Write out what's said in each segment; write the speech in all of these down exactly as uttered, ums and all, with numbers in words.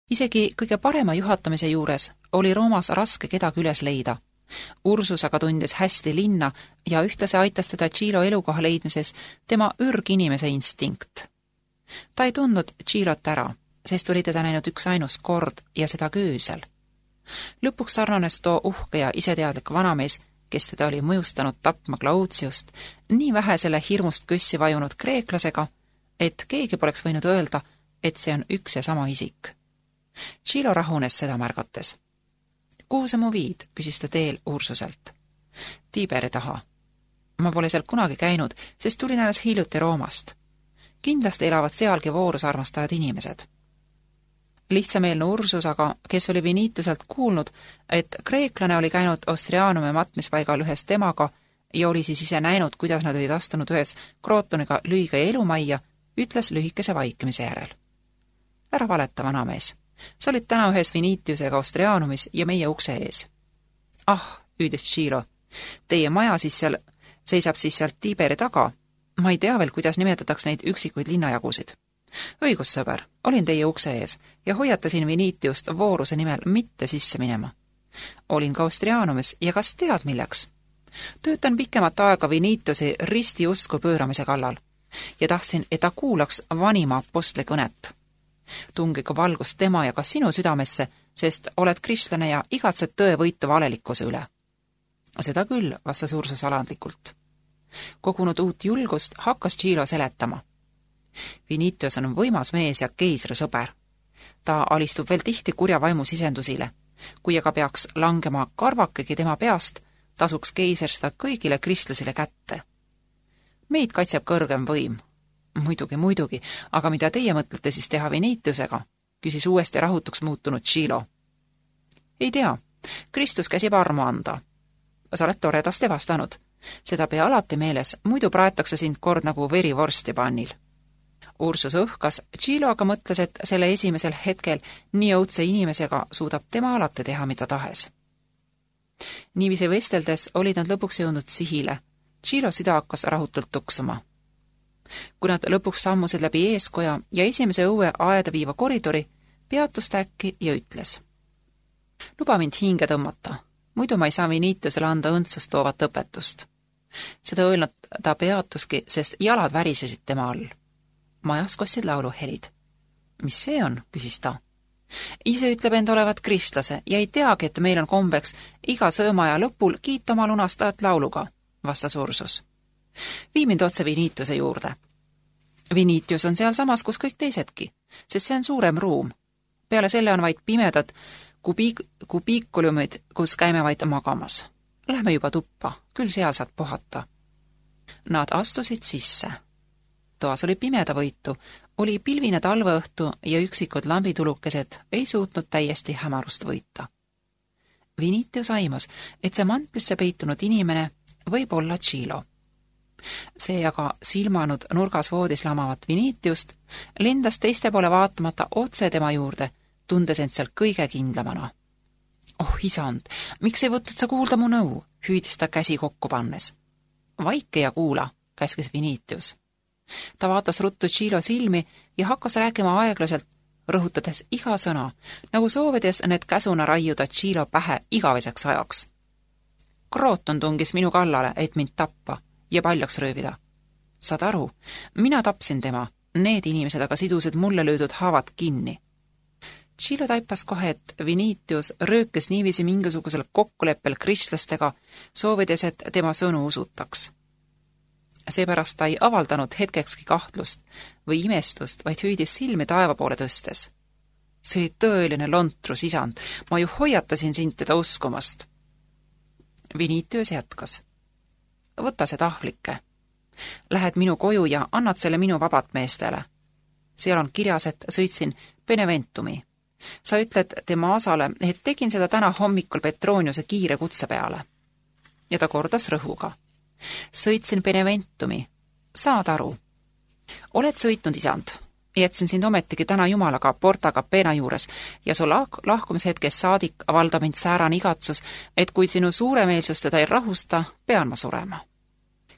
Isegi kõige parema juhatamise juures oli Roomas raske kedagi üles leida. Ursus aga tundis hästi linna ja ühtlasi aitas teda Tšilo elukoha leidmises tema ürginimese instinkt. Ta ei tundnud Tšilot ära, sest oli teda näinud üks ainus kord ja seda köösel. Lõpuks sarnanes too uhke ja iseteadlik vanamees, kes teda oli mõjustanud tapma Claudiust, nii vähe selle hirmust kössi vajunud kreeklasega, et keegi poleks võinud öelda, et see on üks ja sama isik. Tšilo rahunes seda märgates. Kuhu sa mu viid, küsis ta teel Ursuselt. Tiiberi taha. Ma pole seal kunagi käinud, sest tulin alles hiljuti Roomast. Kindlasti elavad sealgi voorusarmastajad inimesed. Lihtsameelne Ursus aga, kes oli Vinituselt kuulnud, et kreeklane oli käinud Ostrianume matmispaigal ühes temaga ja oli siis ise näinud, kuidas nad olid astunud ühes Krootoniga lüiga elumajja, ütles lühikese vaikimise järel. Ära valeta, vanamees. Sa olid täna ühes Vinitiusega Ostrianumis ja meie ukse ees. Ah, hüüdis Tšilo, teie maja siis seal, seisab siis sealt Tiiberi taga. Ma ei tea veel, kuidas nimetataks neid üksikuid linnajagusid. Õigus, sõber, olin teie ukse ees ja hoiatasin Vinitiust vooruse nimel mitte sisse minema. Olin ka Ostrianumis ja kas tead milleks? Töötan pikemat aega Vinitiusi risti usku pööramise kallal ja tahtsin, et ta kuulaks vanima apostli kõnet. Tungigu valgust tema ja ka sinu südamesse, sest oled kristlane ja igatsed tõe võitu valelikkuse üle. Seda küll, vastas Ursus alandlikult. Kogunud uut julgust hakkas Tšilo seletama. Vinitius on võimas mees ja keisri sõber. Ta alistub veel tihti kurja vaimu sisendusile. Kui aga peaks langema karvakegi tema peast, tasuks keiser seda kõigile kristlasile kätte. Meid kaitseb kõrgem võim. Muidugi, muidugi, aga mida teie mõtlete siis teha Vinitiusega? Küsis uuesti rahutuks muutunud Tšilo. Ei tea, Kristus käsib armu anda. Sa oled toredasti vastanud. Seda pea alati meeles, muidu praetakse sind kord nagu verivorsti pannil. Ursus õhkas, Tšilo aga mõtles, et selle esimesel hetkel nii õudse inimesega suudab tema alati teha, mida tahes. Niiviisi vesteldes olid nad lõpuks jõudnud sihile. Tšilo süda hakkas rahutult tuksuma. Kui nad lõpuks sammusid läbi eeskoja ja esimese õue aeda viiva koridori, peatus ta äkki ja ütles. Luba mind hinge tõmmata, muidu ma ei saa Vinitiusele anda õndsust toovat õpetust. Seda öelnud ta peatuski, sest jalad värisesid tema all. Majas kostsid lauluhelid. Mis see on, küsis ta. Ise ütleb end olevat kristlase ja ei teagi, et meil on kombeks iga söömaja lõpul kiita oma lunastajat lauluga, vastas Ursus. Vii mind otse Vinitiuse juurde. Vinitius on seal samas, kus kõik teisedki, sest see on suurem ruum. Peale selle on vaid pimedad kubiik, kubiikulumid, kus käime vaid magamas. Lähme juba tuppa, küll seal saad puhata. Nad astusid sisse. Toas oli pimeda võitu, oli pilvine talveõhtu ja üksikud lambitulukesed ei suutnud täiesti hämarust võita. Vinitius aimas, et see mantlisse peitunud inimene võib olla Tšilo. See aga silmanud nurgas voodis lamavat Vinitiust, lendas teiste poole vaatamata otse tema juurde, tundes end seal kõige kindlamana. Oh, isand, miks ei võtnud sa kuulda mu nõu, hüüdis ta käsi kokku pannes. Vaike ja kuula, käskis Vinitius. Ta vaatas ruttu Tšilo silmi ja hakkas rääkima aeglaselt, rõhutades iga sõna, nagu soovides need käsuna raiuda Tšilo pähe igaveseks ajaks. Krooton tungis minu kallale, et mind tappa ja paljaks röövida. Saad aru, mina tapsin tema, need inimesed aga sidusid mulle löödud haavad kinni. Tšilo taipas kohe, et Vinitius röökes niiviisi mingisugusel kokkuleppel kristlastega, soovides, et tema sõnu usutaks. Seepärast ta ei avaldanud hetkekski kahtlust või imestust, vaid hüüdis silmi taeva poole tõstes. See oli tõeline lontrus, isand, ma ju hoiatasin sind teda uskumast. Vinitius jätkas. Võta see tahvlike. Lähed minu koju ja annad selle minu vabat meestele. Seal on kirjas, et sõitsin Beneventumi. Sa ütled tema asale, et tegin seda täna hommikul Petroniuse kiire kutse peale. Ja ta kordas rõhuga. Sõitsin Beneventumi. Saad aru? Oled sõitnud, isand. Jätsin sind ometigi täna jumalaga Porta Capena juures ja su lah- lahkumishetkes saadik avaldab mind säärane igatsus, et kui sinu suuremeelsus teda ei rahusta, pean ma surema.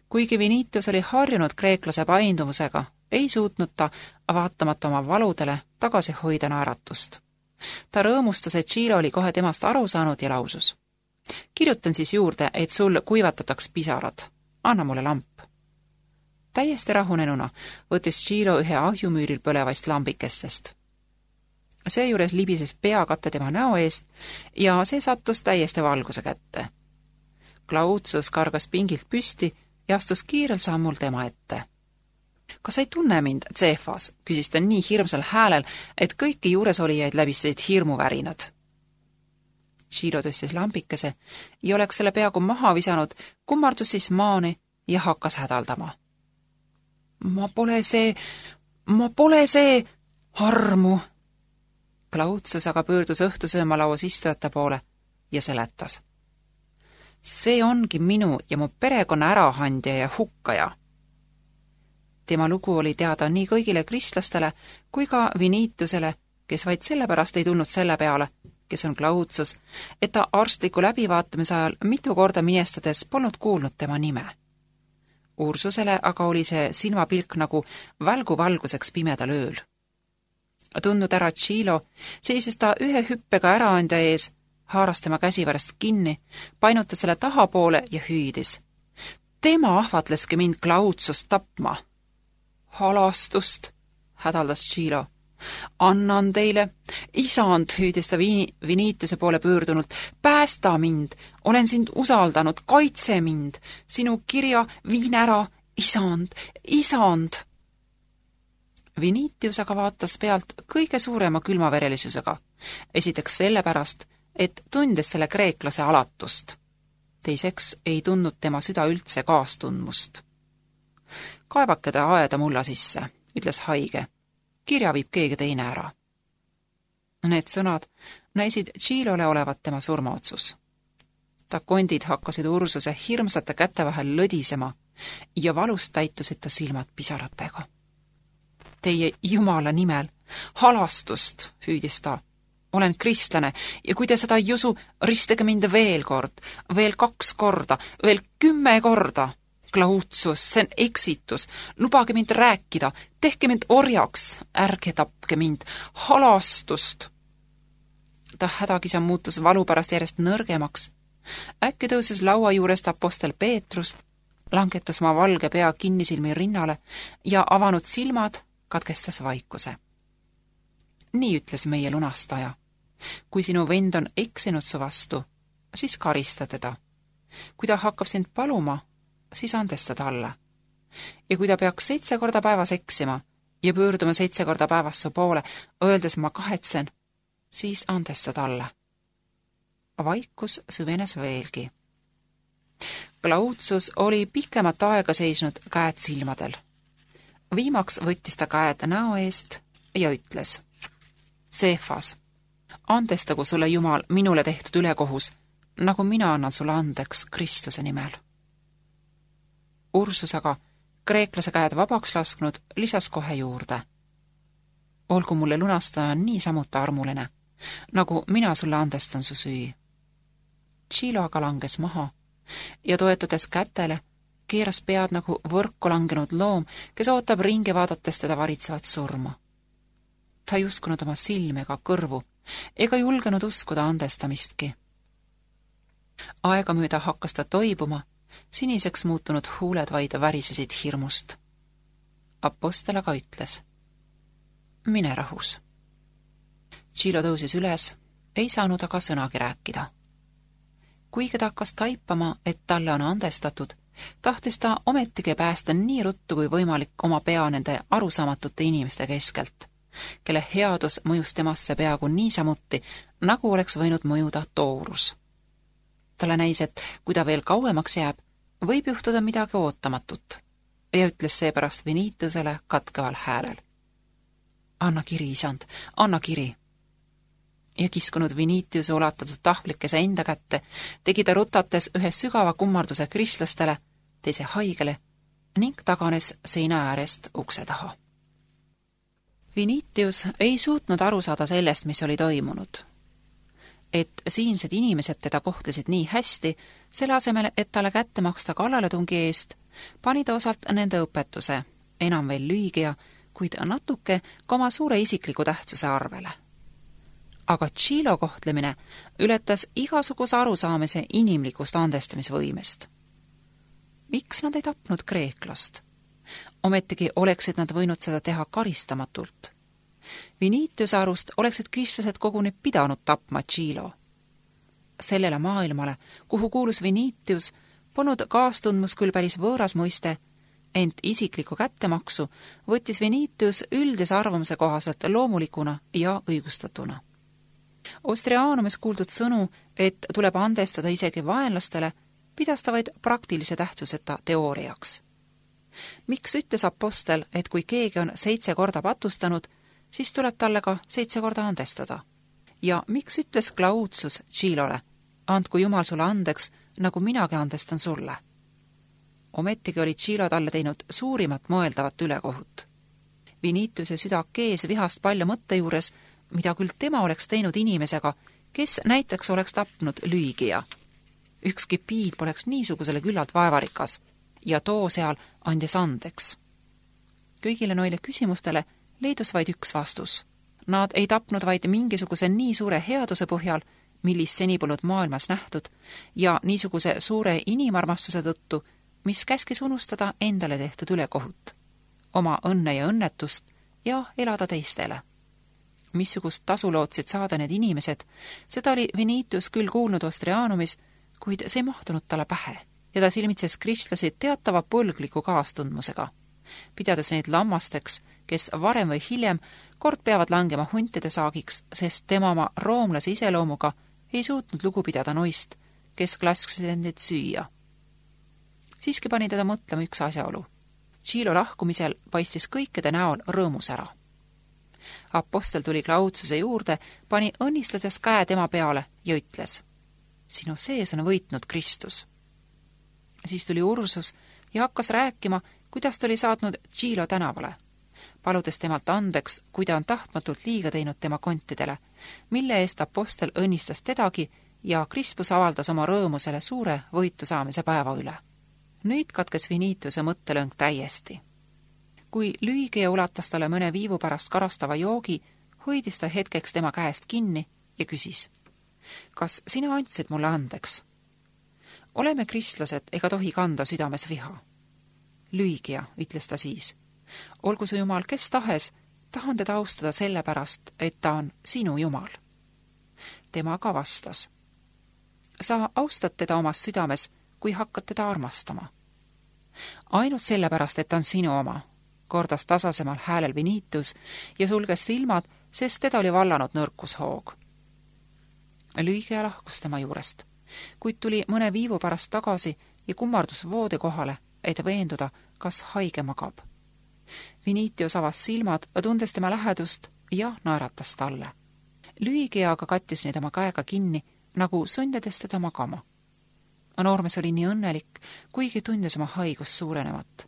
Kuigi Vinitius oli harjunud kreeklase painduvusega, ei suutnud ta, vaatamata oma valudele, tagasi hoida naeratust. Ta rõõmustas, et Giro oli kohe temast aru saanud ja lausus. Kirjutan siis juurde, et sul kuivatataks pisarad. Anna mulle lamp. Täiesti rahunenuna võttis Giro ühe ahjumüüril põlevast lambikestest. Seejuures libises peakatte tema näo eest ja see sattus täiesti valguse kätte. Glautsus kargas pingilt püsti ja astus kiirel sammul tema ette. Kas ei tunne mind, Cefas, küsis ta nii hirmsal häälel, et kõiki juuresolijaid läbisid hirmuvärinad. Giro tõstis lambikese ja oleks selle peaaegu maha visanud, kummardus siis maani ja hakkas hädaldama. Ma pole see, ma pole see, armu! Glautsus aga pöördus õhtusöömalauas istujate poole ja seletas. See ongi minu ja mu perekonna ärahandja ja hukkaja. Tema lugu oli teada nii kõigile kristlastele kui ka Vinitusele, kes vaid sellepärast ei tulnud selle peale, kes on Glautsus, et ta arstliku läbivaatamise ajal mitu korda minestades polnud kuulnud tema nime. Ursusele aga oli see silmapilk nagu välgu valguseks pimedal ööl. Tundnud ära Giro, seisis ta ühe hüppega äraandja ees, haaras tema käsivärast kinni, painutas selle tahapoole ja hüüdis. Tema ahvatleski mind Glautsust tapma. Halastust, hädaldas Giro. Annan teile, isand, hüüdis ta Vinituse poole pöördunult, päästa mind, olen sind usaldanud, kaitse mind, sinu kirja viin ära, isand, isand. Vinitus aga vaatas pealt kõige suurema külmaverelisusega, esiteks sellepärast, et tundes selle kreeklase alatust. Teiseks ei tundnud tema süda üldse kaastundmust. Kaevake ta aeda mulla sisse, ütles haige. Kirja viib keegi teine ära. Need sõnad näisid Girole olevat tema surmaotsus. Ta kondid hakkasid Ursuse hirmsate käte vahel lõdisema ja valust täitusid ta silmad pisaratega. Teie Jumala nimel, halastust, hüüdis ta. Olen kristlane ja kui te seda ei usu, ristage mind veel kord, veel kaks korda, veel kümme korda. Glautsus, see on eksitus, lubage mind rääkida, tehke mind orjaks, ärge tapke mind, halastust. Ta hädakisa muutus valu pärast järjest nõrgemaks. Äkki tõuses laua juurest apostel Peetrus, langetas ma valge pea kinnisilmi rinnale ja avanud silmad katkestas vaikuse. Nii ütles meie lunastaja. Kui sinu vend on eksinud su vastu, siis karista teda. Kui ta hakkab sind paluma, siis andesta talle. Ja kui ta peaks seitse korda päevas eksima ja pöörduma seitse korda päevas su poole, öeldes ma kahetsen, siis andesta talle. Vaikus süvenes veelgi. Glautsus oli pikemat aega seisnud käed silmadel. Viimaks võttis ta käed näo eest ja ütles. Cefas, andestagu sulle Jumal minule tehtud ülekohus, nagu mina annan sulle andeks Kristuse nimel. Ursus aga, kreeklase käed vabaks lasknud, lisas kohe juurde. Olgu mulle lunastaja nii samuti armuline, nagu mina sulle andestan su süü. Giro aga langes maha ja toetudes kätele, keeras pead nagu võrku langenud loom, kes ootab ringi vaadates teda varitsevat surma. Ta ei uskunud oma silme ega kõrvu, ega julgenud uskuda andestamistki. Aega mööda hakkas ta toibuma, siniseks muutunud huuled vaid värisesid hirmust. Apostel aga ütles. Mine rahus. Giro tõusis üles, ei saanud aga sõnagi rääkida. Kuigi ta hakkas taipama, et talle on andestatud, tahtis ta ometigi päästa nii ruttu kui võimalik oma pea nende arusaamatute inimeste keskelt, kelle headus mõjus temasse peaaegu niisamuti, nagu oleks võinud mõjuda toorus. Talle näis, et kui ta veel kauemaks jääb, võib juhtuda midagi ootamatut ja ütles seepärast Vinitusele katkeval häälel. Anna kiri, isand, anna kiri. Ja kiskunud Vinituse ulatatud tahvlikese enda kätte, tegi ta rutates ühe sügava kummarduse kristlastele, teise haigele ning taganes seina äärest ukse taha. Vinitius ei suutnud aru saada sellest, mis oli toimunud. Et siinsed inimesed teda kohtlesid nii hästi, selle asemel, et talle kätte maksta kallaletungi eest, pani ta osalt nende õpetuse, enam veel lüügia, kuid natuke ka oma suure isikliku tähtsuse arvele. aga Tšilo kohtlemine ületas igasuguse arusaamise inimlikust andestamisvõimest. Miks nad ei tapnud kreeklast? Ometigi oleksid nad võinud seda teha karistamatult. Vinitiuse arust oleksid kristlased koguni pidanud tapma Tšilo. Sellele maailmale, kuhu kuulus Vinitius, polnud kaastundmus küll päris võõras mõiste, ent isiklikku kättemaksu võttis Vinitius üldise arvamuse kohaselt loomulikuna ja õigustatuna. Ostriaanumis kuuldud sõnu, et tuleb andestada isegi vaenlastele, pidas ta vaid praktilise tähtsuseta teooriaks. Miks ütles apostel, et kui keegi on seitse korda patustanud, siis tuleb talle ka seitse korda andestada? Ja miks ütles Claudius Tšilole, andku Jumal sulle andeks, nagu minagi andestan sulle? Ometigi oli Tšilo talle teinud suurimat mõeldavat ülekohut. Vinitiuse süda kees vihast palju mõtte juures, mida küll tema oleks teinud inimesega, kes näiteks oleks tapnud Lüügia. Ükski piid poleks niisugusele küllalt vaevarikas ja too seal andis andeks. Kõigile noile küsimustele leidus vaid üks vastus. Nad ei tapnud vaid mingisuguse nii suure headuse põhjal, millist seni polnud maailmas nähtud, ja niisuguse suure inimarmastuse tõttu, mis käskis unustada endale tehtud ülekohut, oma õnne ja õnnetust ja elada teistele. Missugust tasu lootsid saada need inimesed, seda oli Vinitius küll kuulnud Ostriaanumis, kuid see ei mahtunud talle pähe ja ta silmitses kristlasi teatava põlgliku kaastundmusega, pidades neid lammasteks, kes varem või hiljem kord peavad langema huntide saagiks, sest tema oma roomlase iseloomuga ei suutnud lugu pidada noist, kes lasksid endid süüa. Siiski pani teda mõtlema üks asjaolu. Tšilo lahkumisel paistis kõikide näol rõõmus ära. Apostel tuli Claudiuse juurde, pani õnnistades käe tema peale ja ütles: sinu sees on võitnud Kristus. Siis tuli Ursus ja hakkas rääkima, kuidas ta oli saatnud Tšilo tänavale, paludes temalt andeks, kui ta on tahtmatult liiga teinud tema kontidele, mille eest apostel õnnistas tedagi ja Krispus avaldas oma rõõmu selle suure võitu saamise päeva üle. Nüüd katkes Vinitiuse mõttelõng täiesti. Kui Lüügia ulatas talle mõne viivu pärast karastava joogi, hoidis ta hetkeks tema käest kinni ja küsis: kas sina andsid mulle andeks? Oleme kristlased ega tohi kanda südames viha. Lüügia, ütles ta siis, olgu su Jumal kes tahes, tahan teda austada sellepärast, et ta on sinu Jumal. Tema ka vastas: sa austad teda omas südames, kui hakkad teda armastama. Ainult sellepärast, et ta on sinu oma, kordas tasasemal häälel Vinitius ja sulges silmad, sest teda oli vallanud nõrkushoog. Lüügia lahkus tema juurest, kuid tuli mõne viivu pärast tagasi ja kummardus voodi kohale, et veenduda, kas haige magab. Vinitius avas silmad, tundes tema lähedust ja naeratas talle. Lüügia aga kattis neid oma käega kinni, nagu sundades teda magama. Noormees oli nii õnnelik, kuigi tundis oma haigust suurenevat.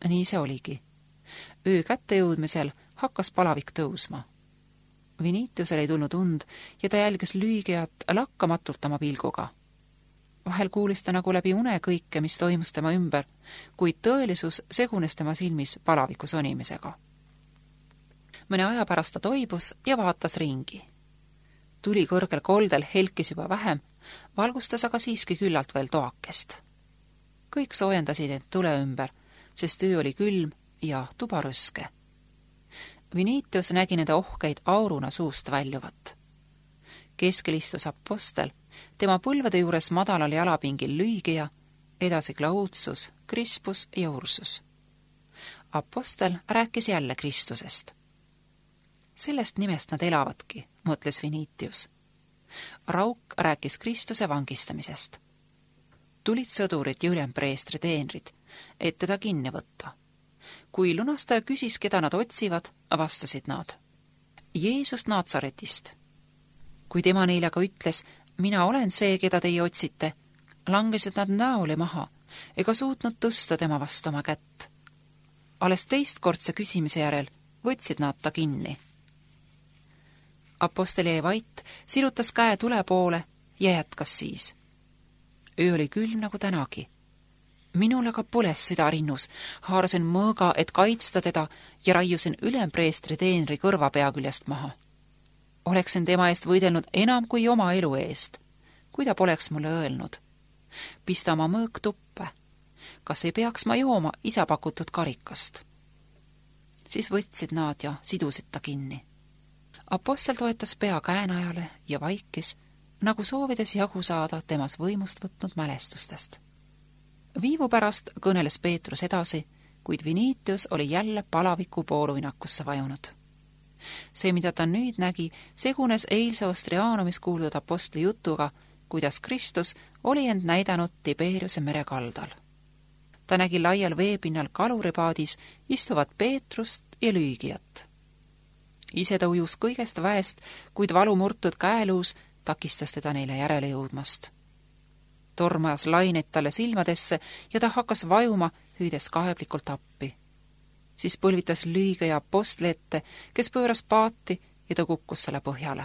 Nii see oligi. Öö kätte jõudmisel hakkas palavik tõusma. Vinitiusel ei tulnud und ja ta jälgis Lüügiat lakkamatult oma pilguga. Vahel kuulis ta nagu läbi une kõike, mis toimus tema ümber, kuid tõelisus segunes tema silmis palaviku sonimisega. Mõne aja pärast ta toibus ja vaatas ringi. Tuli kõrgel koldel helkis juba vähem, valgustas aga siiski küllalt veel toakest. Kõik soojendasid end tule ümber, sest öö oli külm ja tuba rõske. Vinitius nägi nende ohkeid auruna suust väljuvat. Keskel istus apostel, tema põlvede juures madalal jalapingil Lüügia, edasi Claudius, Krispus ja Ursus. Apostel rääkis jälle Kristusest. Sellest nimest nad elavadki, mõtles Vinitius. Rauk rääkis Kristuse vangistamisest. Tulid sõdurid ja ülempreestri teenrid, et teda kinni võtta. Kui lunastaja küsis, keda nad otsivad, vastasid nad: Jeesust Naatsaretist. Kui tema neile aga ütles: mina olen see, keda teie otsite, langesid nad näole maha ega suutnud tõsta tema vastu oma kätt. Alles teistkordse küsimise järel võtsid nad ta kinni. Apostel jäi vait, sirutas käe tule poole ja jätkas siis: öö oli külm nagu tänagi. Minul aga põles süda rinnus, haarasin mõõga, et kaitsta teda ja raiusin ülempreestri teenri kõrva pea küljest maha. Oleksin tema eest võidelnud enam kui oma elu eest, kui ta poleks mulle öelnud. Pista oma mõõk tuppe. Kas ei peaks ma jooma isa pakutud karikast? Siis võtsid nad ja sidusid ta kinni. Apostel toetas pea käenajale ja vaikis, nagu soovides jagu saada temas võimust võtnud mälestustest. Viivu pärast kõneles Peetrus edasi, kuid Vinitius oli jälle palaviku pooruinakusse vajunud. See, mida ta nüüd nägi, segunes eilse Ostriaanumis kuuldud apostli jutuga, kuidas Kristus oli end näidanud Tiberiuse mere kaldal. Ta nägi laial veepinnal kaluripaadis istuvat Peetrust ja Lüügiat. Ise ta ujus kõigest väest, kuid valumurtud käeluus takistas teda neile järele jõudmast. Tormajas laineid talle silmadesse ja ta hakkas vajuma, hüüdes kaeblikult appi. Siis põlvitas Lüügia apostli ette, kes pööras paati ja ta kukkus selle põhjale.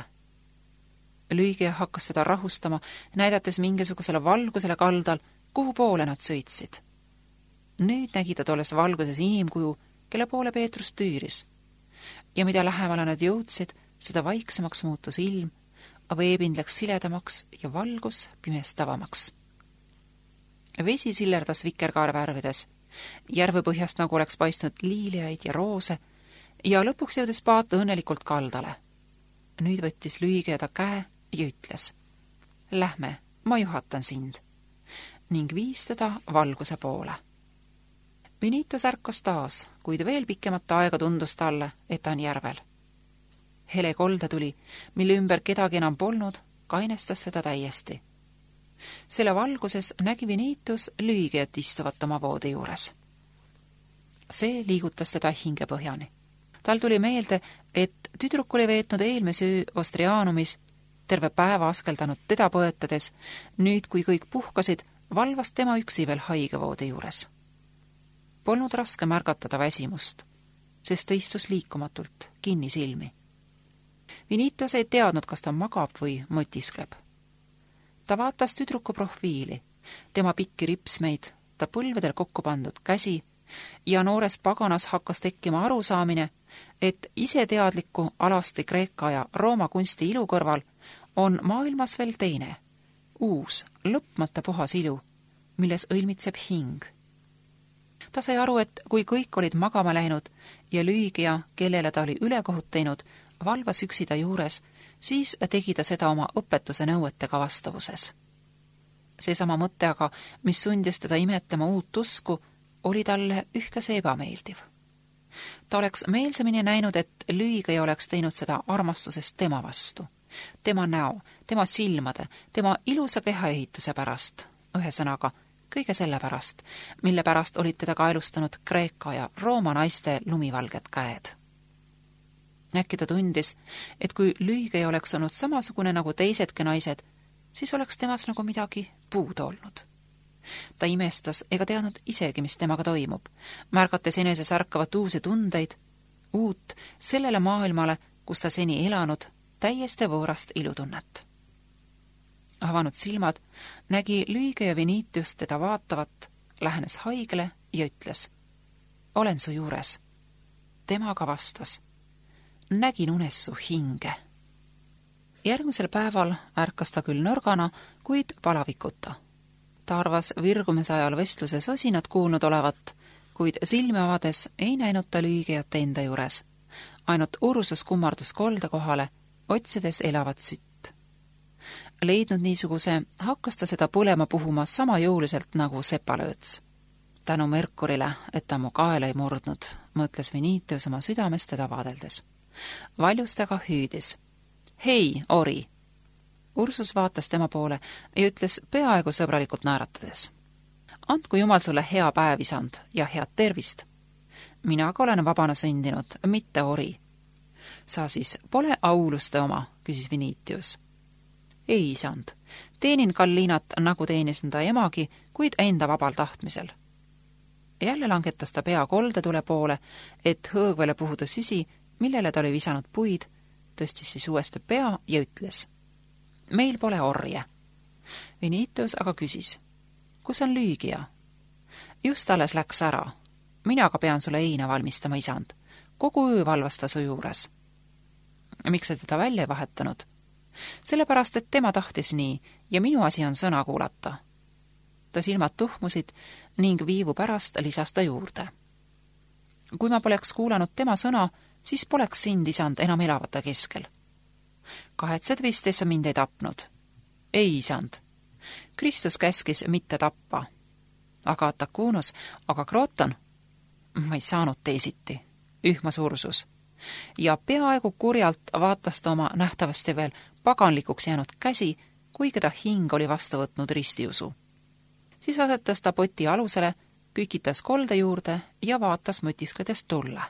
Lüügia hakkas teda rahustama, näidates mingisugusele valgusele kaldal, kuhu poole nad sõitsid. Nüüd nägi ta tolles valguses inimkuju, kelle poole Peetrus tüüris. Ja mida lähemale nad jõudsid, seda vaiksemaks muutus ilm, veepind läks siledamaks ja valgus pimestavamaks. Vesi sillerdas vikerkaarvärvides, järvepõhjast nagu oleks paistnud liiliaid ja roose ja lõpuks jõudis paat õnnelikult kaldale. Nüüd võttis Lüügia ta käe ja ütles: Lähme, ma juhatan sind, ning viis teda valguse poole. Vinitus ärkas taas, kuid veel pikemat aega tundus talle, et ta on järvel. Hele kolde tuli, mille ümber kedagi enam polnud, kainestas seda täiesti. Selle valguses nägi Vinitus Lüügiat istuvat oma voodi juures. See liigutas teda hingepõhjani. Tal tuli meelde, et tüdruk oli veetnud eelmise öö Ostriaanumis, terve päeva askeldanud teda põetades, nüüd kui kõik puhkasid, valvas tema üksi veel haigevoodi juures. Polnud raske märgatada väsimust, sest ta istus liikumatult, kinni silmi. Vinitus ei teadnud, kas ta magab või mõtiskleb. Ta vaatas tüdruku profiili, tema pikki ripsmeid, ta põlvedel kokku pandud käsi ja noores paganas hakkas tekkima arusaamine, et iseteadliku alasti Kreeka ja Rooma kunsti ilu kõrval on maailmas veel teine, uus, lõpmata puhas ilu, milles õilmitseb hing. Ta sai aru, et kui kõik olid magama läinud ja Lüügia, kellele ta oli ülekohut teinud, valvas üksi ta juures, siis tegi ta seda oma õpetuse nõuetega vastavuses. Seesama mõte aga, mis sundis teda imetlema uut usku, oli talle ühtlasi ebameeldiv. Ta oleks meelsamini näinud, et Lüügia oleks teinud seda armastusest tema vastu, tema näo, tema silmade, tema ilusa kehaehituse pärast, ühesõnaga kõige selle pärast, mille pärast olid teda kaelustanud Kreeka ja Rooma naiste lumivalged käed. Äkki ta tundis, et kui Lüügia oleks olnud samasugune nagu teisedki naised, siis oleks temas nagu midagi puudu olnud. Ta imestas ega teadnud isegi, mis temaga toimub, märgates eneses ärkavat uusi tundeid, uut sellele maailmale, kus ta seni elanud, täiesti võõrast ilutunnet. Avanud silmad, nägi Lüügia ja Vinitius teda vaatavat, lähenes haigele ja ütles: Olen su juures. Temaga vastas: Nägin unes su hinge. Järgmisel päeval ärkas ta küll nõrgana, kuid palavikuta. Ta arvas virgumise ajal vestluses osinat kuulnud olevat, kuid silmi avades ei näinud ta Lüügiat enda juures. Ainult Ursus kummardus kolde kohale, otsides elavat sütt. Leidnud niisuguse, hakkas ta seda põlema puhuma sama jõuliselt nagu sepalööts. Tänu Merkurile, et ta mu kaela ei murdnud, mõtles Vinitius oma südames teda vaadeldes. Valjustega hüüdis: Hei, ori! Ursus vaatas tema poole ja ütles peaaegu sõbralikult naeratades: Andku Jumal sulle hea päev, isand, ja head tervist. Mina ka olen vabana sündinud, mitte ori. Sa siis pole auluste oma, küsis Vinitius. Ei, isand, teenin Kallinat, nagu teenis ta emagi, kuid enda vabal tahtmisel. Jälle langetas ta pea koldetule poole, et hõõgvele puhuda süsi, millele ta oli visanud puid, tõstis siis uuesti pea ja ütles: Meil pole orje. Vinitius aga küsis: Kus on Lüügia? Just alles läks ära. Mina aga pean sulle heina valmistama, isand. Kogu öö valvas ta su juures. Miks sa teda välja ei vahetanud? Sellepärast, et tema tahtis nii ja minu asi on sõna kuulata. Ta silmad tuhmusid ning viivu pärast lisas ta juurde. Kui ma poleks kuulanud tema sõna, siis poleks sind, isand, enam elavate keskel. Kahetsed vist, et sa mind ei tapnud? Ei, isand. Kristus käskis mitte tappa. Aga Atakunus, aga Kroton? Ma ei saanud teisiti. Ühmas ursus. Ja peaaegu kurjalt vaatas ta oma nähtavasti veel paganlikuks jäänud käsi, kuigi ta hing oli vastu võtnud ristiusu. Siis asetas ta poti alusele, kükitas kolde juurde ja vaatas mõtiskledes tulle.